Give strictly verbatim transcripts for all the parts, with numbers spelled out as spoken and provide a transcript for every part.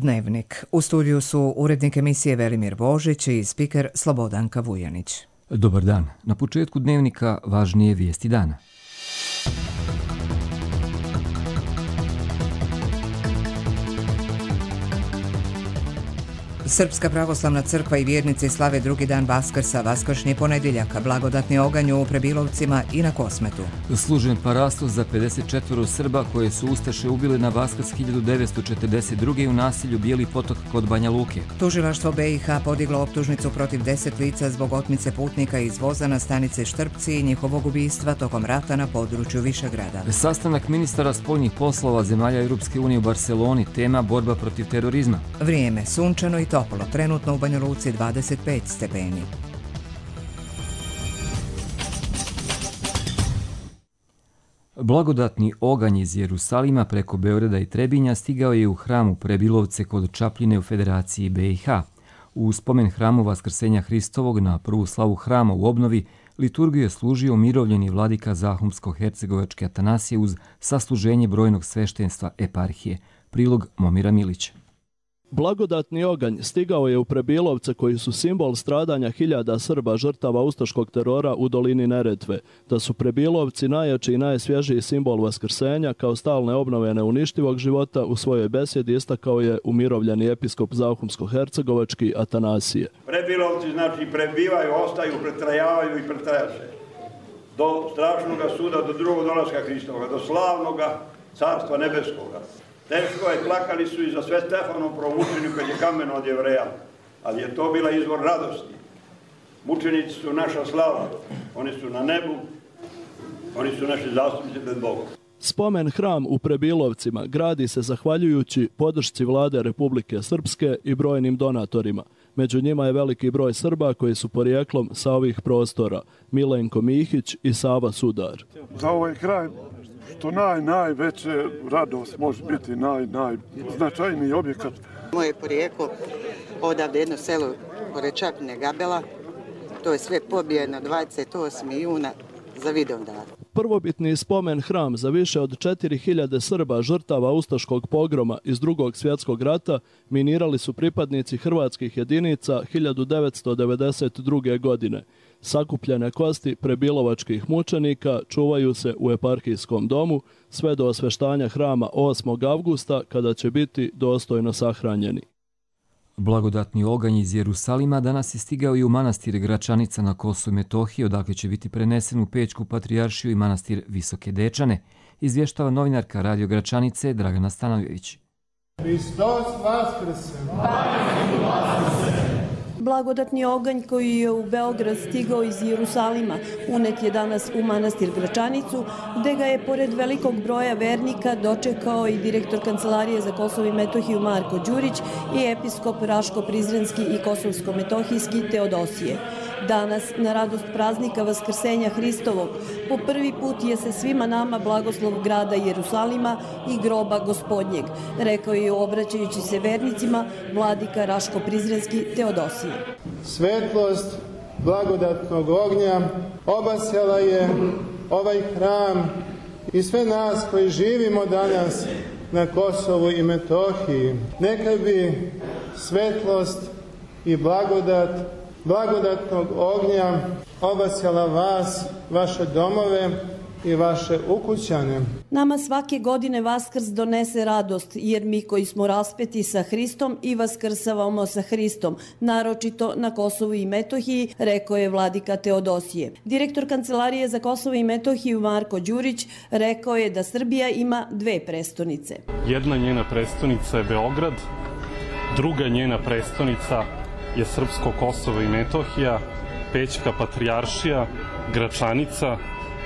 Dnevnik. U studiju su urednik emisije Velimir Božić i spiker Slobodanka Vujanić. Dobar dan. Na početku Dnevnika važnije vijesti dana. Srpska pravoslavna crkva i vjernici slave drugi dan Vaskrsa, vaskršnji ponedjeljak, blagodatni oganj u Prebilovcima i na Kosmetu. Služen parastos za pedeset četvoro Srba koje su ustaše ubile na Vaskrs hiljadu devetsto četrdeset druge u naselju Bijeli potok kod Banja Luke. Tužilaštvo B i H podiglo optužnicu protiv deset lica zbog otmice putnika iz voza na stanice Štrpci i njihovog ubistva tokom rata na području Višegrada. Sastanak ministara spoljnih poslova zemalja Europske unije u Barceloni, tema borba protiv terorizma. Vrijeme sunčano i toplo, trenutno u Banja Luci dvadeset pet stepeni. Blagodatni oganj iz Jerusalima preko Beograda i Trebinja stigao je u hram u Prebilovce kod Čapljine u Federaciji B i H. U spomen hramu Vaskrsenja Hristovog na prvu slavu hrama u obnovi liturgiju je služio umirovljeni vladika Zahumsko-hercegovačke Atanasije uz sasluženje brojnog sveštenstva eparhije. Prilog Momira Milića. Blagodatni oganj stigao je u Prebilovce koji su simbol stradanja hiljada Srba žrtava ustaškog terora u dolini Neretve, da su Prebilovci najjači i najsvježiji simbol vaskrsenja kao stalne obnove neuništivog života u svojoj besjedi istakao je umirovljeni episkop Zahumsko-hercegovački Atanasije. Prebilovci znači prebivaju, ostaju, pretrajavaju i pretrajaše. Do strašnog suda, do drugog dolaska Hristovoga, do slavnoga carstva nebeskoga. Teško je, plakali su i za sve Stefanom promučenju kad je kameno od Jevreja, ali je to bila izvor radosti. Mučenici su naša slava, oni su na nebu, oni su naši zastupnici pred Bogom. Spomen hram u Prebilovcima gradi se zahvaljujući podršci vlade Republike Srpske i brojnim donatorima. Među njima je veliki broj Srba koji su porijeklom sa ovih prostora, Milenko Mihić i Sava Sudar. Za ovaj kraj što naj, najveće radost može biti naj, najznačajniji objekat. Moje porijeklo, odavde jedno selo pored Čapljine Gabela, to je sve pobijeno dvadeset osmog juna za Vidovdan. Prvobitni spomen hram za više od četiri hiljade Srba žrtava ustaškog pogroma iz Drugog svjetskog rata minirali su pripadnici hrvatskih jedinica hiljadu devetsto devedeset druge. godine. Sakupljene kosti prebilovačkih mučenika čuvaju se u eparhijskom domu sve do osveštanja hrama osmog avgusta kada će biti dostojno sahranjeni. Blagodatni oganj iz Jerusalima danas je stigao i u manastir Gračanica na Kosovu i Metohiji, odakle će biti prenesen u Pećku patrijaršiju i manastir Visoke Dečane, izvještava novinarka Radio Gračanice Dragana Stanojević. Hristos Vaskrse! Blagodatni oganj koji je u Beograd stigao iz Jerusalima unet je danas u manastir Gračanicu, gde ga je pored velikog broja vernika dočekao i direktor Kancelarije za Kosovo i Metohiju Marko Đurić i episkop Raško-Prizrenski i Kosovsko-Metohijski Teodosije. Danas, na radost praznika Vaskrsenja Hristovog, po prvi put je se svima nama blagoslov grada Jerusalima i groba Gospodnjeg, rekao je obraćajući se vernicima vladika Raško-Prizrenski Teodosije. Svetlost blagodatnog ognja obasjala je ovaj hram i sve nas koji živimo danas na Kosovu i Metohiji. Neka bi svetlost i blagodat blagodatnog ognja obasjala vas, vaše domove i vaše ukućane. Nama svake godine Vaskrs donese radost, jer mi koji smo raspeti sa Hristom i vaskrsavamo sa Hristom, naročito na Kosovu i Metohiji, rekao je vladika Teodosije. Direktor Kancelarije za Kosovo i Metohiju Marko Đurić rekao je da Srbija ima dve prestonice. Jedna njena prestonica je Beograd, druga njena prestonica je Srpsko Kosovo i Metohija, Pećka patrijaršija, Gračanica,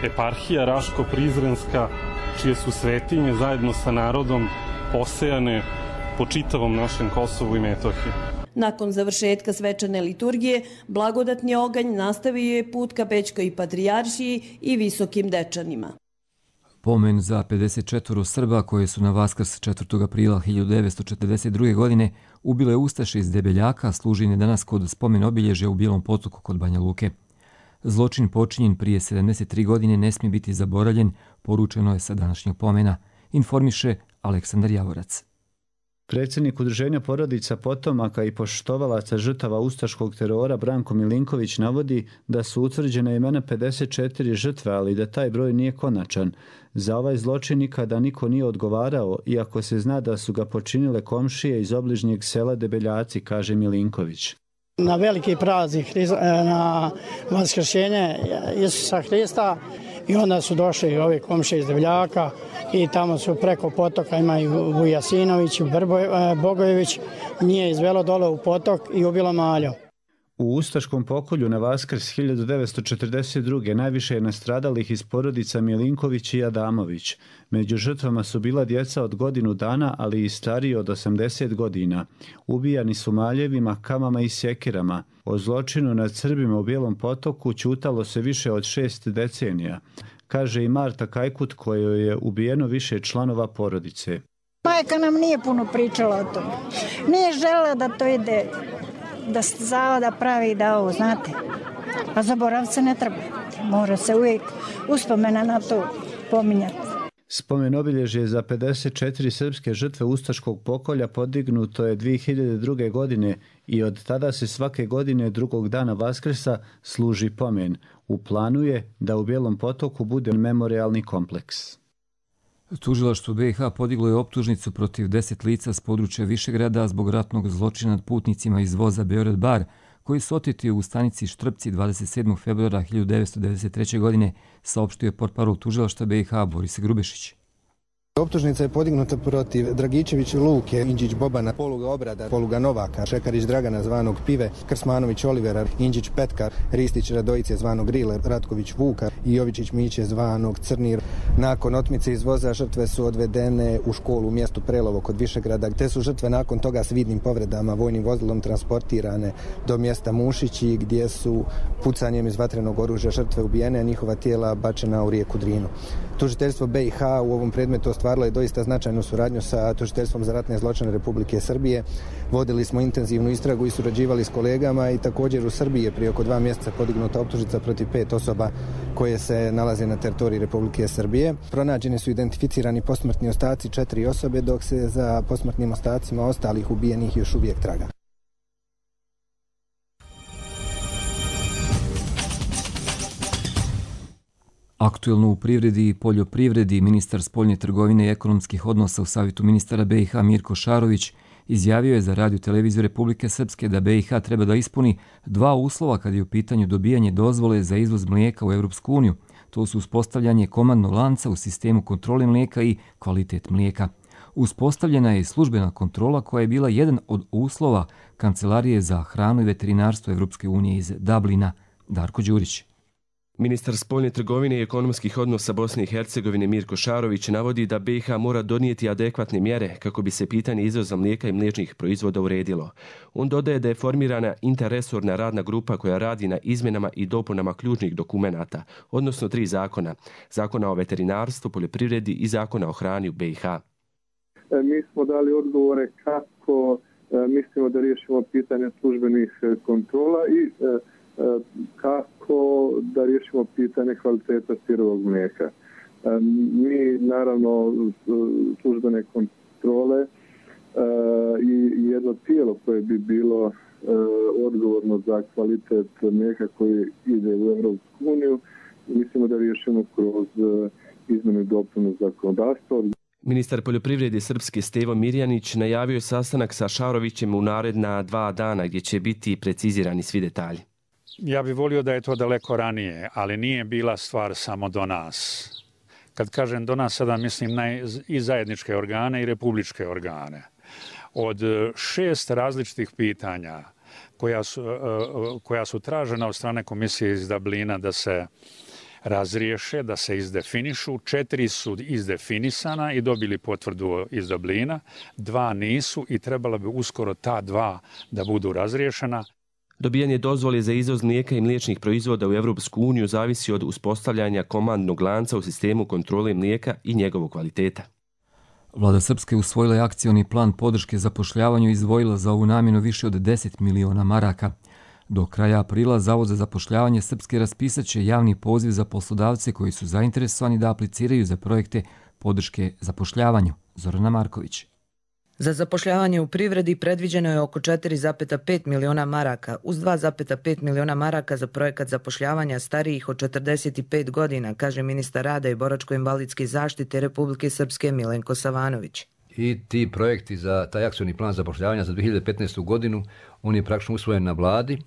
eparhija Raško-Prizrenska, čije su svetinje zajedno sa narodom posejane po čitavom našem Kosovu i Metohiji. Nakon završetka svečane liturgije, blagodatni oganj nastavio je put ka Pećkoj patrijaršiji i Visokim Dečanima. Pomen za pedeset četvoro Srba koje su na Vaskrs četvrtog aprila hiljadu devetsto četrdeset druge. godine ubile ustaše iz Debeljaka služi danas kod spomen obilježja u Bijelom potoku kod Banja Luke. Zločin počinjen prije sedamdeset tri godine ne smije biti zaboravljen, poručeno je sa današnjeg pomena, informiše Aleksandar Javorac. Predsjednik Udruženja porodica potomaka i poštovalaca žrtava ustaškog terora Branko Milinković navodi da su utvrđene imena pedeset četiri žrtve, ali da taj broj nije konačan. Za ovaj zločin nikada niko nije odgovarao, iako se zna da su ga počinile komšije iz obližnjeg sela Debeljaci, kaže Milinković. Na veliki praznik, na vaskršenje Isusa Hrista, i onda su došli ovi komšije iz Debeljaka i tamo su preko potoka, ima i Vujasinović, Bogojević, nije izvelo dole u potok i ubilo Malju. U ustaškom pokolju na Vaskrs hiljadu devetsto četrdeset druge najviše je nastradalih iz porodica Milinković i Adamović. Među žrtvama su bila djeca od godinu dana, ali i stariji od osamdeset godina. Ubijani su maljevima, kamama i sjekirama. O zločinu nad Srbima u Bijelom potoku ćutalo se više od šest decenija, kaže i Marta Kajkut, kojoj je ubijeno više članova porodice. Majka nam nije puno pričala o tome. Nije želela da to ide, da se zavada pravi da ovo, znate. A zaborav se ne treba. Mora se uvijek uspomena na to pominjati. Spomen obilježje za pedeset četiri srpske žrtve ustaškog pokolja podignuto je dvije hiljade druge. godine i od tada se svake godine drugog dana Vaskrsa služi pomen. U planu je da u Bijelom potoku bude memorijalni kompleks. Tužilaštvo B i H podiglo je optužnicu protiv deset lica s područja Višegrada zbog ratnog zločina nad putnicima iz voza Beograd-Bar, koji su oteti u stanici Štrpci dvadeset sedmog februara hiljadu devetsto devedeset treće. godine, saopštio je portparol tužilaštva B i H Boris Grubešić. Optužnica je podignuta protiv Dragičević Luke, Inđić Bobana, Poluga Obrada, Poluga Novaka, Šekarić Dragana zvanog Pive, Krsmanović Olivera, Inđić Petka, Ristić Radojice zvanog Rile, Ratković Vuka i Jovičić Miće zvanog Crnir. Nakon otmice iz voza žrtve su odvedene u školu u mjestu Prelovo kod Višegrada, te su žrtve nakon toga s vidnim povredama vojnim vozilom transportirane do mjesta Mušići, gdje su pucanjem iz vatrenog oružja žrtve ubijene, a njihova tijela bačena u rijeku Drinu. Tužiteljstvo B i H u ovom predmetu ostvarilo je doista značajnu suradnju sa Tužiteljstvom za ratne zločine Republike Srbije. Vodili smo intenzivnu istragu i surađivali s kolegama i također u Srbiji je prije oko dva mjeseca podignuta optužnica protiv pet osoba koje se nalaze na teritoriji Republike Srbije. Pronađeni su identificirani posmrtni ostaci četiri osobe, dok se za posmrtnim ostacima ostalih ubijenih još uvijek traga. Aktuelno u privredi i poljoprivredi ministar spoljne trgovine i ekonomskih odnosa u Savjetu ministara B i H Mirko Šarović izjavio je za Radio televiziju Republike Srpske da B i H treba da ispuni dva uslova kad je u pitanju dobijanje dozvole za izvoz mlijeka u Europsku uniju. To su uspostavljanje komandnog lanca u sistemu kontrole mlijeka i kvalitet mlijeka. Uspostavljena je i službena kontrola koja je bila jedan od uslova Kancelarije za hranu i veterinarstvo Europske unije iz Dublina. Darko Đurić. Ministar spoljne trgovine i ekonomskih odnosa Bosne i Hercegovine Mirko Šarović navodi da B i H mora donijeti adekvatne mjere kako bi se pitanje izvoza mlijeka i mliječnih proizvoda uredilo. On dodaje da je formirana interresorna radna grupa koja radi na izmjenama i dopunama ključnih dokumenata, odnosno tri zakona. Zakona o veterinarstvu, poljoprivredi i zakona o hrani u B i H. Mi smo dali odgovore kako mislimo da riješimo pitanje službenih kontrola i kako da riješimo pitanje kvaliteta sirovog mlijeka. Mi, naravno, službene kontrole i jedno tijelo koje bi bilo odgovorno za kvalitet mlijeka koji ide u Europsku uniju, mislimo da riješimo kroz izmjenu i dopunu zakonodavstva. Ministar poljoprivrede Srpske Stevo Mirjanić najavio je sastanak sa Šarovićem u naredna dva dana gdje će biti precizirani svi detalji. Ja bih volio da je to daleko ranije, ali nije bila stvar samo do nas. Kad kažem do nas, sada mislim na i zajedničke organe i republičke organe. Od šest različitih pitanja koja su, koja su tražena od strane komisije iz Dublina da se razriješe, da se izdefinišu, četiri su izdefinisana i dobili potvrdu iz Dublina, dva nisu i trebala bi uskoro ta dva da budu razriješena. Dobijanje dozvole za izvoz mlijeka i mliječnih proizvoda u Europsku uniju zavisi od uspostavljanja komandnog lanca u sistemu kontrole mlijeka i njegovog kvaliteta. Vlada Srpske usvojila je akcioni plan podrške zapošljavanju i izdvojila za ovu namjenu više od deset miliona maraka. Do kraja aprila Zavod za zapošljavanje Srpske raspisat će javni poziv za poslodavce koji su zainteresovani da apliciraju za projekte podrške zapošljavanju. Zorana Marković. Za zapošljavanje u privredi predviđeno je oko četiri zarez pet miliona maraka, uz dva zarez pet miliona maraka za projekat zapošljavanja starijih od četrdeset pet godina, kaže ministar rada i boračko-invalidske zaštite Republike Srpske Milenko Savanović. I ti projekti za taj akcioni plan zapošljavanja za dvije hiljade petnaestu. godinu, on je praktično usvojen na vladi.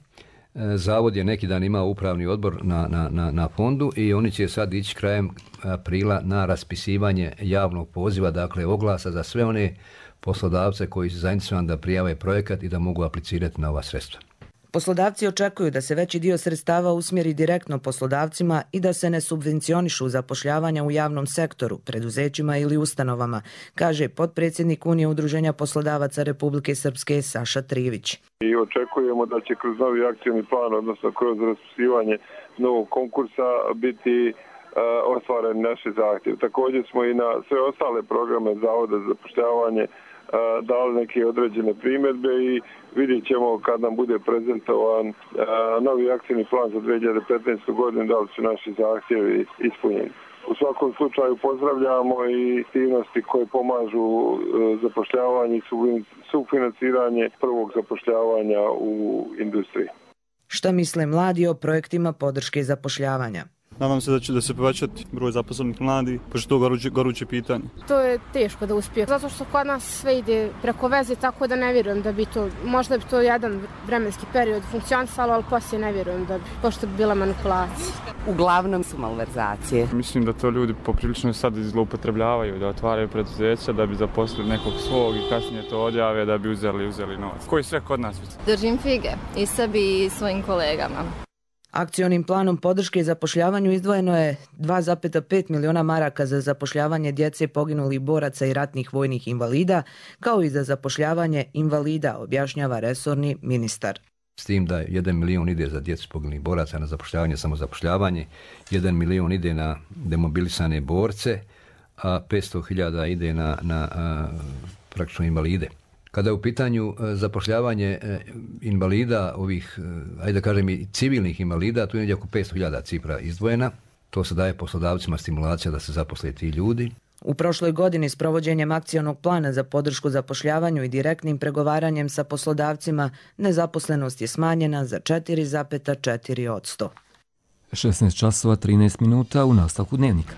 Zavod je neki dan imao upravni odbor na, na, na, na fondu i oni će sad ići krajem aprila na raspisivanje javnog poziva, dakle oglasa za sve one poslodavce koji su zainteresovani da prijave projekat i da mogu aplicirati na ova sredstva. Poslodavci očekuju da se veći dio sredstava usmjeri direktno poslodavcima i da se ne subvencionišu zapošljavanja u javnom sektoru, preduzećima ili ustanovama, kaže potpredsjednik Unije udruženja poslodavaca Republike Srpske Saša Trivić. I očekujemo da će kroz novi akcijni plan, odnosno kroz raspisivanje novog konkursa, biti uh, ostvaren naši zahtjev. Također smo i na sve ostale programe Zavoda za zapošljavanje dali neke određene primjedbe i vidjet ćemo kad nam bude prezentovan novi akcijni plan za dvije hiljade petnaestu. godinu da li su naši zahtjevi ispunjeni. U svakom slučaju pozdravljamo i aktivnosti koje pomažu zapošljavanje i sufinanciranje prvog zapošljavanja u industriji. Šta misle mladi o projektima podrške zapošljavanja? Nadam se da će da se povećati broj zaposlenih mladih, pošto to goruće, goruće pitanje. To je teško da uspije, zato što kod nas sve ide preko veze, tako da ne vjerujem da bi to, možda bi to jedan vremenski period funkcionisalo, ali poslije ne vjerujem da bi, pošto bi bila manipulacija. Uglavnom su malverzacije. Mislim da to ljudi poprilično sad zloupotrebljavaju, da otvaraju preduzeća, da bi zaposlili nekog svog i kasnije to odjave da bi uzeli, uzeli novac. Koji sve kod nas? Držim fige i sebi i svojim kolegama. Akcionim planom podrške zapošljavanju izdvojeno je dva zarez pet miliona maraka za zapošljavanje djece poginulih boraca i ratnih vojnih invalida, kao i za zapošljavanje invalida, objašnjava resorni ministar. S tim da jedan milion ide za djecu poginulih boraca na zapošljavanje, samozapošljavanje, jedan milion ide na demobilisane borce, a petsto hiljada ide na, na a, praktično invalide. Kada je u pitanju zapošljavanje invalida, ovih, ajde da kažem i civilnih invalida, tu je oko petsto hiljada cifra izdvojena. To se daje poslodavcima stimulacija da se zaposle ti ljudi. U prošloj godini s provođenjem akcionog plana za podršku zapošljavanju i direktnim pregovaranjem sa poslodavcima, nezaposlenost je smanjena za četiri zarez četiri posto. šesnaest časova trinaest minuta u nastavku dnevnika.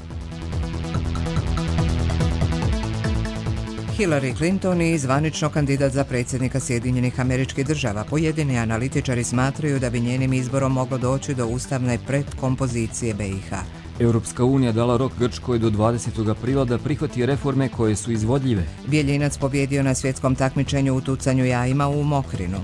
Hillary Clinton je zvanično kandidat za predsjednika Sjedinjenih Američkih Država. Pojedini analitičari smatraju da bi njenim izborom moglo doći do ustavne predkompozicije B i H. Europska unija dala rok Grčkoj do dvadesetog aprila da prihvati reforme koje su izvodljive. Bjeljinac pobjedio na svjetskom takmičenju u tucanju jajima u Mokrinu.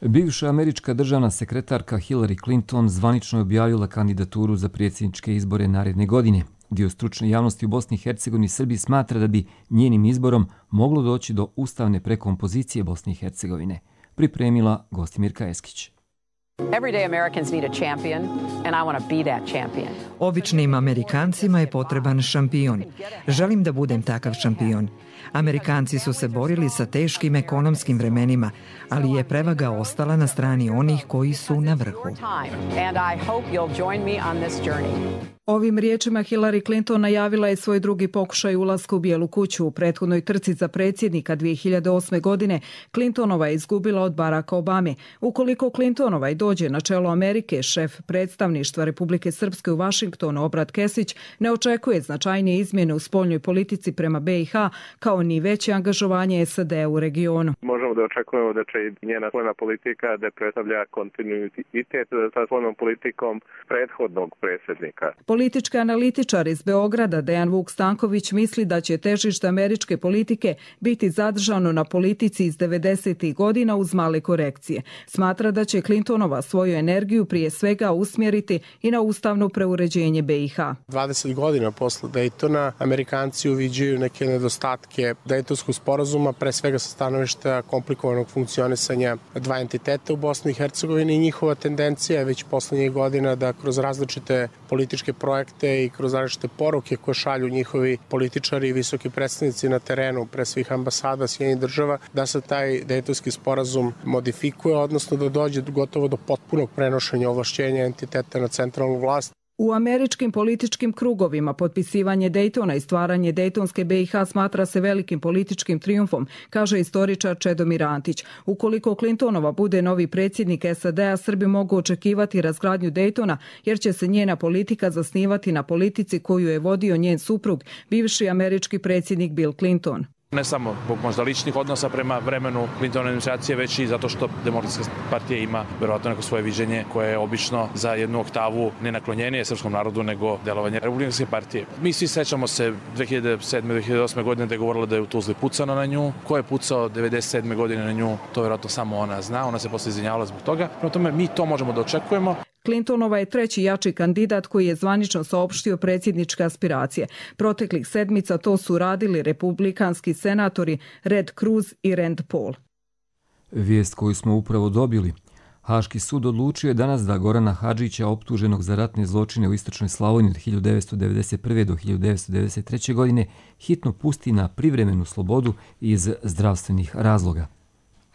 Bivša američka državna sekretarka Hillary Clinton zvanično je objavila kandidaturu za predsjedničke izbore naredne godine. Dio stručne javnosti u Bosni i Hercegovini i Srbiji smatra da bi njenim izborom moglo doći do ustavne prekompozicije Bosne i Hercegovine. Pripremila Gostimirka Eskić. Everyday Americans need a champion and I want to be that champion. Običnim Amerikancima je potreban šampion. Želim da budem takav šampion. Amerikanci su se borili sa teškim ekonomskim vremenima, ali je prevaga ostala na strani onih koji su na vrhu. Ovim riječima Hillary Clinton najavila je svoj drugi pokušaj ulaska u Bijelu kuću. U prethodnoj trci za predsjednika dvije hiljade osme. godine Clintonova je izgubila od Baracka Obame. Ukoliko Clintonova i dođe na čelo Amerike, šef predstavništva Republike Srpske u Vašingtonu Obrat Kesić ne očekuje značajnije izmjene u spoljnoj politici prema B i H, kao ni veće angažovanje S A D u regionu. Možemo da očekujemo da će i njena spoljna politika da predstavlja kontinuitet sa spoljnom politikom prethodnog predsjednika. Politički analitičar iz Beograda Dejan Vuk Stanković misli da će težište američke politike biti zadržano na politici iz devedesetih godina uz male korekcije. Smatra da će Clintonova svoju energiju prije svega usmjeriti i na ustavno preuređenje B i H. dvadeset godina posle Daytona Amerikanci uviđaju neke nedostatke Daytonskog sporazuma, pre svega sa stanovišta komplikovanog funkcionisanja dva entiteta u Bosni i Hercegovini i njihova tendencija je već poslednjih godina da kroz različite političke projekte i kroz različite poruke koje šalju njihovi političari i visoki predstavnici na terenu, pre svih ambasada Sjedinjenih država, da se taj Daytonski sporazum modifikuje, odnosno da dođe gotovo do potpunog prenošenja ovlašćenja entiteta na centralnu vlast. U američkim političkim krugovima potpisivanje Dejtona i stvaranje Dejtonske B i H smatra se velikim političkim trijumfom, kaže istoričar Čedomir Antić. Ukoliko Clintonova bude novi predsjednik S A D-a, Srbi mogu očekivati razgradnju Dejtona, jer će se njena politika zasnivati na politici koju je vodio njen suprug, bivši američki predsjednik Bill Clinton. Ne samo zbog možda ličnih odnosa prema vremenu Clintonove administracije, već i zato što Demokratska partija ima verovatno neko svoje viđenje koje je obično za jednu oktavu nenaklonjenije srpskom narodu nego delovanje Republikanske partije. Mi svi sećamo se dve hiljade sedme. dve hiljade osme. godine da je govorila da je u Tuzli pucano na nju. Ko je pucao devedeset sedme. godine na nju, to verovatno samo ona zna. Ona se posle izvinjavala zbog toga. Prema tome, mi to možemo da očekujemo. Clintonova je treći jači kandidat koji je zvanično saopštio predsjedničke aspiracije. Proteklih sedmica to su radili republikanski senatori Red Cruz i Rand Paul. Vijest koju smo upravo dobili. Haški sud odlučio je danas da Gorana Hadžića, optuženog za ratne zločine u istočnoj Slavoniji od hiljadu devetsto devedeset prve. do hiljadu devetsto devedeset treće. godine hitno pusti na privremenu slobodu iz zdravstvenih razloga.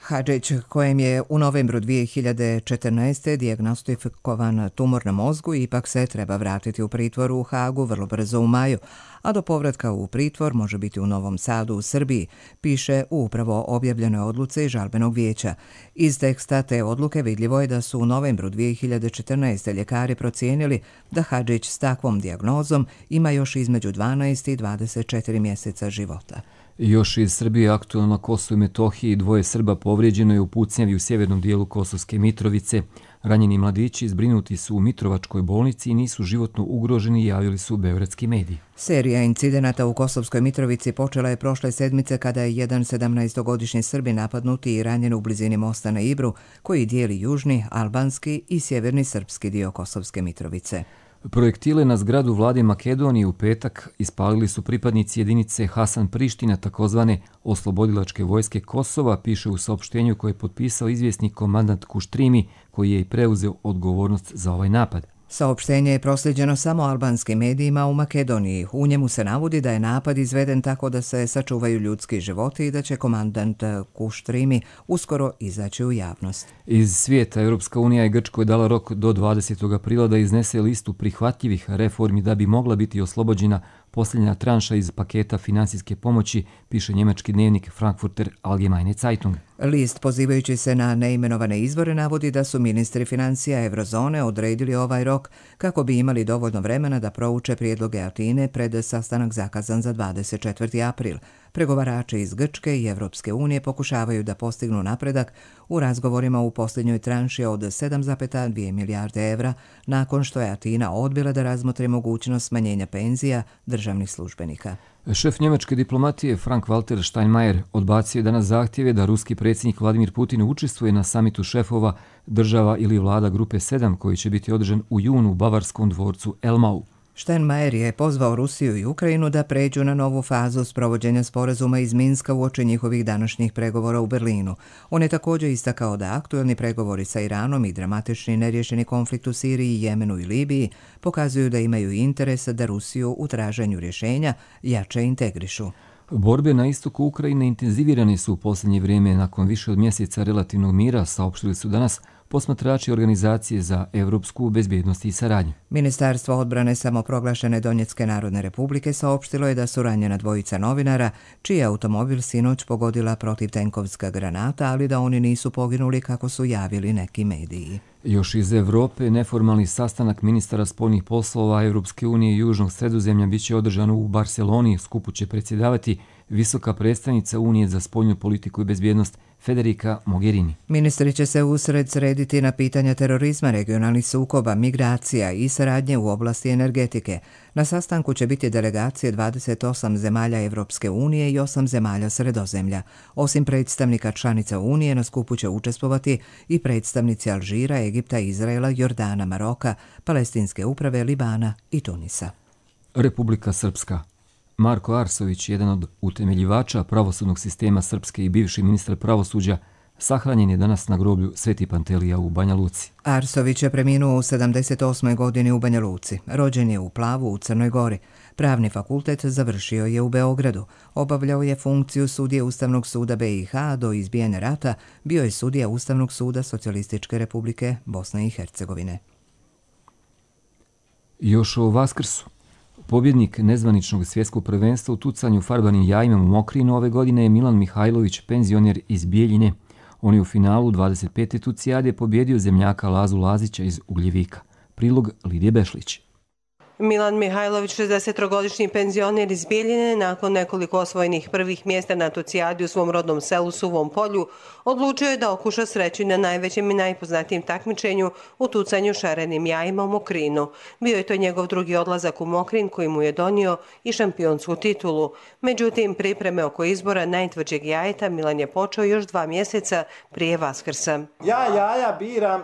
Hadžić, kojem je u novembru dvije hiljade četrnaeste. dijagnostikovan tumor na mozgu, ipak se treba vratiti u pritvor u Hagu vrlo brzo u maju, a do povratka u pritvor može biti u Novom Sadu u Srbiji, piše u upravo objavljenoj odluci žalbenog vijeća. Iz teksta te odluke vidljivo je da su u novembru dvije hiljade četrnaeste. ljekari procijenili da Hadžić s takvom dijagnozom ima još između dvanaest i dvadeset četiri mjeseca života. Još iz Srbije aktualno na Kosovu i Metohiji dvoje Srba povrijeđeno je u pucnjavi u sjevernom dijelu Kosovske Mitrovice. Ranjeni mladići zbrinuti su u Mitrovačkoj bolnici i nisu životno ugroženi, javili su beogradski mediji. Serija incidenata u Kosovskoj Mitrovici počela je prošle sedmice kada je jedan sedamnaestogodišnji Srbin napadnuti i ranjen u blizini mosta na Ibru, koji dijeli južni, albanski i sjeverni srpski dio Kosovske Mitrovice. Projektile na zgradu vlade Makedonije u petak ispalili su pripadnici jedinice Hasan Priština, takozvane oslobodilačke vojske Kosova, piše u saopštenju koje je potpisao izvjesnik komandant Kuštrimi, koji je i preuzeo odgovornost za ovaj napad. Saopštenje je prosljeđeno samo albanskim medijima u Makedoniji. U njemu se navodi da je napad izveden tako da se sačuvaju ljudski životi i da će komandant Kuštrimi uskoro izaći u javnost. Iz svijeta Europska unija je Grčkoj dala rok do dvadesetog aprila da iznese listu prihvatljivih reformi da bi mogla biti oslobođena posljednja tranša iz paketa finansijske pomoći, piše njemački dnevnik Frankfurter Allgemeine Zeitung. List, pozivajući se na neimenovane izvore, navodi da su ministri financija Eurozone odredili ovaj rok kako bi imali dovoljno vremena da prouče prijedloge Atine pred sastanak zakazan za dvadeset četvrti april. Pregovarači iz Grčke i Evropske unije pokušavaju da postignu napredak u razgovorima u posljednjoj tranši od sedam zarez dvije milijarde evra, nakon što je Atina odbila da razmotri mogućnost smanjenja penzija državnih službenika. Šef njemačke diplomatije Frank-Walter Steinmeier odbacio je danas zahtjeve da ruski predsjednik Vladimir Putin učestvuje na samitu šefova država ili vlada grupe sedam koji će biti održan u junu u bavarskom dvorcu Elmau. Steinmeier je pozvao Rusiju i Ukrajinu da pređu na novu fazu sprovođenja sporazuma iz Minska uoči njihovih današnjih pregovora u Berlinu. On je također istakao da aktuelni pregovori sa Iranom i dramatični neriješeni konflikt u Siriji, Jemenu i Libiji pokazuju da imaju interes da Rusiju u traženju rješenja jače integrišu. Borbe na istoku Ukrajine intenzivirane su u posljednje vrijeme nakon više od mjeseca relativnog mira, saopštili su danas posmatrači Organizacije za evropsku bezbjednost i saradnju. Ministarstvo odbrane samoproglašene Donjecke narodne republike saopštilo je da su ranjena dvojica novinara, čiji je automobil sinoć pogodila protivtenkovska granata, ali da oni nisu poginuli kako su javili neki mediji. Još iz Evrope, neformalni sastanak ministara spoljnih poslova Evropske unije i Južnog Sredozemlja biće održan u Barceloni. Skupu će predsjedavati visoka predstavnica Unije za spoljnu politiku i bezbjednost Federica Mogherini. Ministri će se usred srediti na pitanja terorizma, regionalnih sukoba, migracija i saradnje u oblasti energetike. Na sastanku će biti delegacije dvadeset osam zemalja Evropske unije i osam zemalja Sredozemlja. Osim predstavnika članica Unije, na skupu će učestvovati i predstavnici Alžira, Egipta, Izraela, Jordana, Maroka, Palestinske uprave, Libana i Tunisa. Republika Srpska. Marko Arsović, jedan od utemeljivača pravosudnog sistema Srpske i bivši ministar pravosuđa, sahranjen je danas na groblju Sveti Pantelija u Banja Luci. Arsović je preminuo u sedamdeset osmoj godini u Banja Luci. Rođen je u Plavu u Crnoj Gori. Pravni fakultet završio je u Beogradu. Obavljao je funkciju sudije Ustavnog suda B i H, do izbijanja rata bio je sudija Ustavnog suda Socijalističke republike Bosne i Hercegovine. Još o Vaskrsu. Pobjednik nezvaničnog svjetskog prvenstva u tucanju farbanim jajima u Mokrinu ove godine je Milan Mihajlović, penzioner iz Bijeljine. On je u finalu dvadeset pete tucijade pobjedio zemljaka Lazu Lazića iz Ugljevika. Prilog Lidije Bešlić. Milan Mihajlović, šezdesettrogodišnji penzioner iz Bijeljine, nakon nekoliko osvojenih prvih mjesta na tucijadi u svom rodnom selu Suvom polju, odlučio je da okuša sreću na najvećem i najpoznatijem takmičenju u tucanju šarenim jajima u Mokrinu. Bio je to njegov drugi odlazak u Mokrin koji mu je donio i šampionsku titulu. Međutim, pripreme oko izbora najtvrđeg jajeta Milan je počeo još dva mjeseca prije Vaskrsa. Ja jaja biram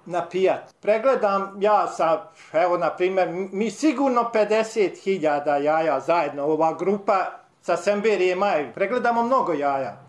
na pijat. Pregledam ja sa, evo na primjer, mi sigurno pedeset hiljada jaja zajedno, ova grupa sa Semberije Maj. Pregledamo mnogo jaja.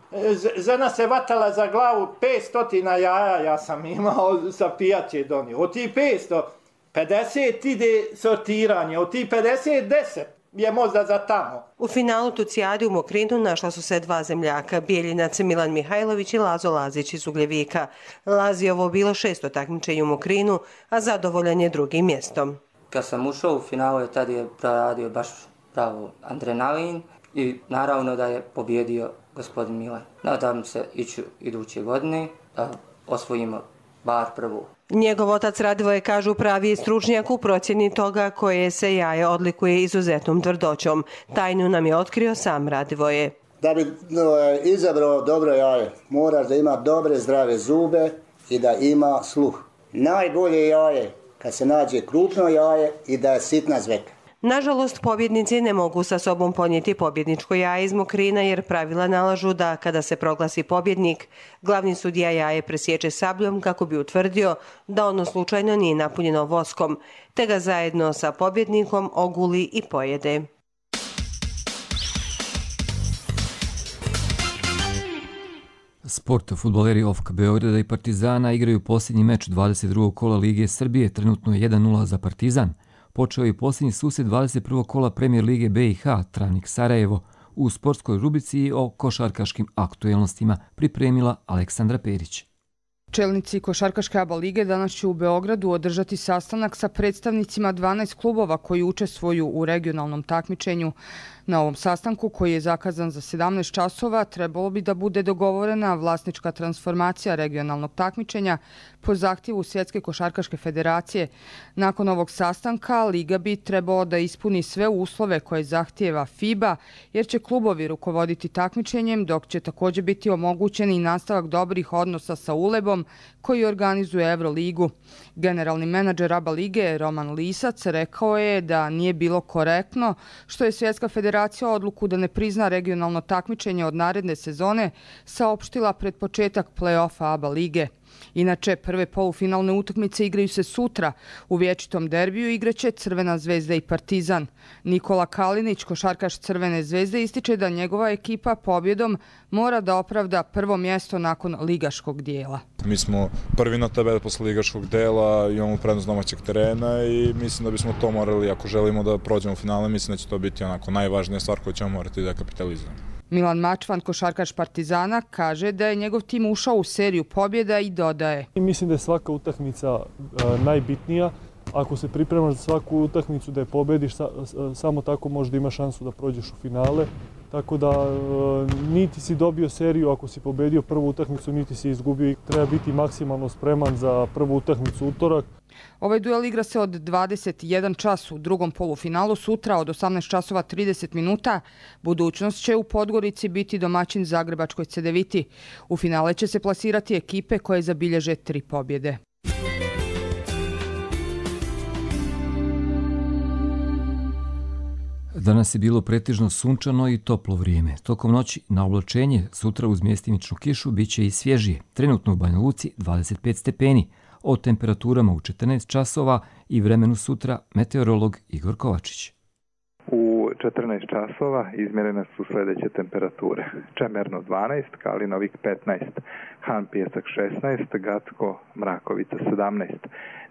Žena se vatala za glavu, petsto jaja ja sam imao sa pijaće donio. Od tih petsto, pedeset ide sortiranje, od tih pedeset, deset je možda za tamo. U finalu tucijade u Mokrinu našla su se dva zemljaka, Bijeljinac Milan Mihajlović i Lazo Lazić iz Ugljevika. Lazi je ovo bilo šesto takmičenje u Mokrinu, a zadovoljan je drugim mjestom. Kad sam ušao u finalu, tad je proradio baš pravo adrenalin i naravno da je pobjedio gospodin Milan. Nadam se ići iduće godine da osvojimo bar prvu. Njegov otac Radivoje, kažu, pravi je stručnjak u procjeni toga koje se jaje odlikuje izuzetnom tvrdoćom. Tajnu nam je otkrio sam Radivoje. Da bi izabrao dobro jaje, moraš da ima dobre zdrave zube i da ima sluh. Najbolje jaje kad se nađe krupno jaje i da je sitna zveka. Nažalost, pobjednici ne mogu sa sobom ponijeti pobjedničko jaje iz Mokrina jer pravila nalažu da kada se proglasi pobjednik, glavni sudija jaje presječe sabljom kako bi utvrdio da ono slučajno nije napunjeno voskom, te ga zajedno sa pobjednikom oguli i pojede. Sport. Fudbaleri O F K Beograda i Partizana igraju posljednji meč dvadeset drugog kola Lige Srbije, trenutno je jedan nula za Partizan. Počeo je posljednji susret dvadeset prvog kola Premijer Lige B i H, Travnik Sarajevo. U sportskoj rubrici o košarkaškim aktuelnostima pripremila Aleksandra Perić. Čelnici Košarkaške A B A lige danas će u Beogradu održati sastanak sa predstavnicima dvanaest klubova koji učestvuju u regionalnom takmičenju. Na ovom sastanku, koji je zakazan za sedamnaest časova, trebalo bi da bude dogovorena vlasnička transformacija regionalnog takmičenja po zahtjevu Svjetske košarkaške federacije. Nakon ovog sastanka, Liga bi trebalo da ispuni sve uslove koje zahtjeva FIBA, jer će klubovi rukovoditi takmičenjem, dok će također biti omogućen i nastavak dobrih odnosa sa Ulebom, koji organizuje Euroligu. Generalni menadžer A B A lige Roman Lisac rekao je da nije bilo korektno što je Svjetska federacija odluku da ne prizna regionalno takmičenje od naredne sezone saopštila pred početak play-offa A B A lige. Inače, prve polufinalne utakmice igraju se sutra. U vječitom derbiju igraće Crvena zvezda i Partizan. Nikola Kalinić, košarkaš Crvene zvezde, ističe da njegova ekipa pobjedom mora da opravda prvo mjesto nakon ligaškog dijela. Mi smo prvi na tabeli posle ligaškog dela, imamo prednost domaćeg terena i mislim da bismo to morali, ako želimo da prođemo u finale, mislim da će to biti onako najvažnija stvar koju ćemo morati da kapitalizujemo. Milan Mačvan, košarkaš Partizana, kaže da je njegov tim ušao u seriju pobjeda i dodaje. Mislim da je svaka utakmica uh, najbitnija. Ako se pripremaš za svaku utakmicu da je pobjediš, sa, samo tako možda imaš šansu da prođeš u finale. Tako da uh, niti si dobio seriju ako si pobjedio prvu utakmicu, niti si izgubio. Treba biti maksimalno spreman za prvu utakmicu utorak. Ovaj duel igra se od dvadeset jedan čas u drugom polufinalu. Sutra od osamnaest časova trideset minuta budućnost će u Podgorici biti domaćin Zagrebačkoj Cedeviti. U finale će se plasirati ekipe koje zabilježe tri pobjede. Danas je bilo pretežno sunčano i toplo vrijeme. Tokom noći na oblačenje, sutra uz mjestimičnu kišu bit će i svježije. Trenutno u Banja Luci dvadeset pet stepeni. O temperaturama u četrnaest časova i vremenu sutra meteorolog Igor Kovačić. U četrnaest časova izmjerene su sljedeće temperature. Čemerno dvanaest, Kalinovik petnaest, Han Pijesak šesnaest, Gacko Mrakovica sedamnaest,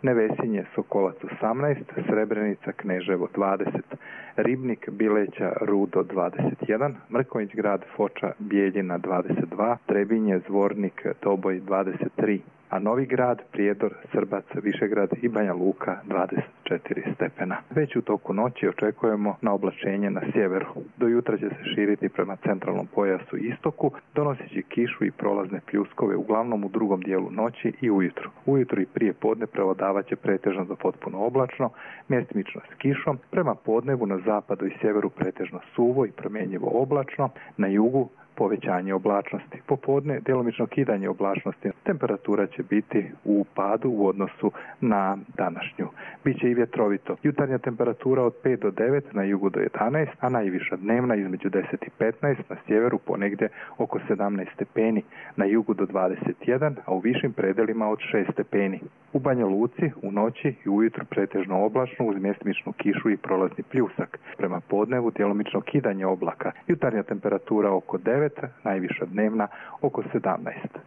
Nevesinje Sokolac osamnaest, Srebrenica Kneževo dvadeset, Ribnik, Bileća, Rudo dvadeset jedan, Mrkonjić Grad, Foča, Bijeljina dvadeset dva, Trebinje, Zvornik, Doboj dvadeset tri, a Novi Grad, Prijedor, Srbac, Višegrad i Banja Luka dvadeset četiri stepena. Već u toku noći očekujemo na oblačenje na sjeveru. Do jutra će se širiti prema centralnom pojasu i istoku, donoseći kišu i prolazne pljuskove uglavnom u drugom dijelu noći i ujutru. Ujutru i prije podne prevladavat će pretežno do potpuno oblačno, mjestimično s kišom, prema podnevu na zapadu i sjeveru pretežno suvo i promjenjivo oblačno, na jugu povećanje oblačnosti. Popodne djelomično kidanje oblačnosti. Temperatura će biti u padu u odnosu na današnju. Biće i vjetrovito. Jutarnja temperatura od pet do devet, na jugu do jedanaest, a najviša dnevna između deset i petnaest, na sjeveru ponegdje oko sedamnaest stepeni, na jugu do dvadeset jedan, a u višim predelima od šest stepeni. U Banja Luci u noći i ujutru pretežno oblačno uz mjestimičnu kišu i prolazni pljusak. Prema podnevu djelomično kidanje oblaka. Jutarnja temperatura oko devet, najviša dnevna oko sedamnaest.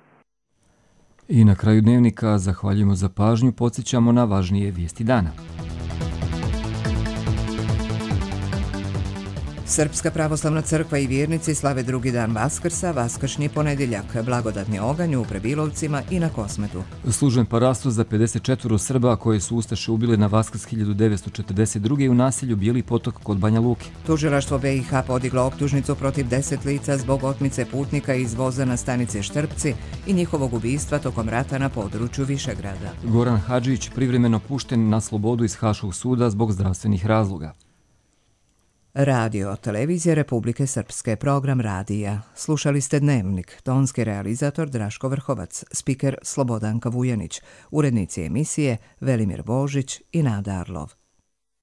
I na kraju dnevnika zahvaljujemo za pažnju, podsjećamo na važnije vijesti dana. Srpska pravoslavna crkva i vjernici slave drugi dan Vaskrsa, vaskršnji ponedjeljak, blagodatni oganj u Prebilovcima i na Kosmetu. Služben parastu za pedeset četiri Srba koje su ustaše ubile na Vaskrs hiljadu devetsto četrdeset druge u naselju Bijeli potok kod Banja Luke. Tužilaštvo B i H podiglo optužnicu protiv deset lica zbog otmice putnika iz voza na stanice Štrpci i njihovog ubistva tokom rata na području Višegrada. Goran Hadžić privremeno pušten na slobodu iz Haškog suda zbog zdravstvenih razloga. Radio, televizija Republike Srpske, program radija. Slušali ste Dnevnik, tonski realizator Draško Vrhovac, spiker Slobodanka Vujanić, urednici emisije Velimir Božić i Nada Arlov.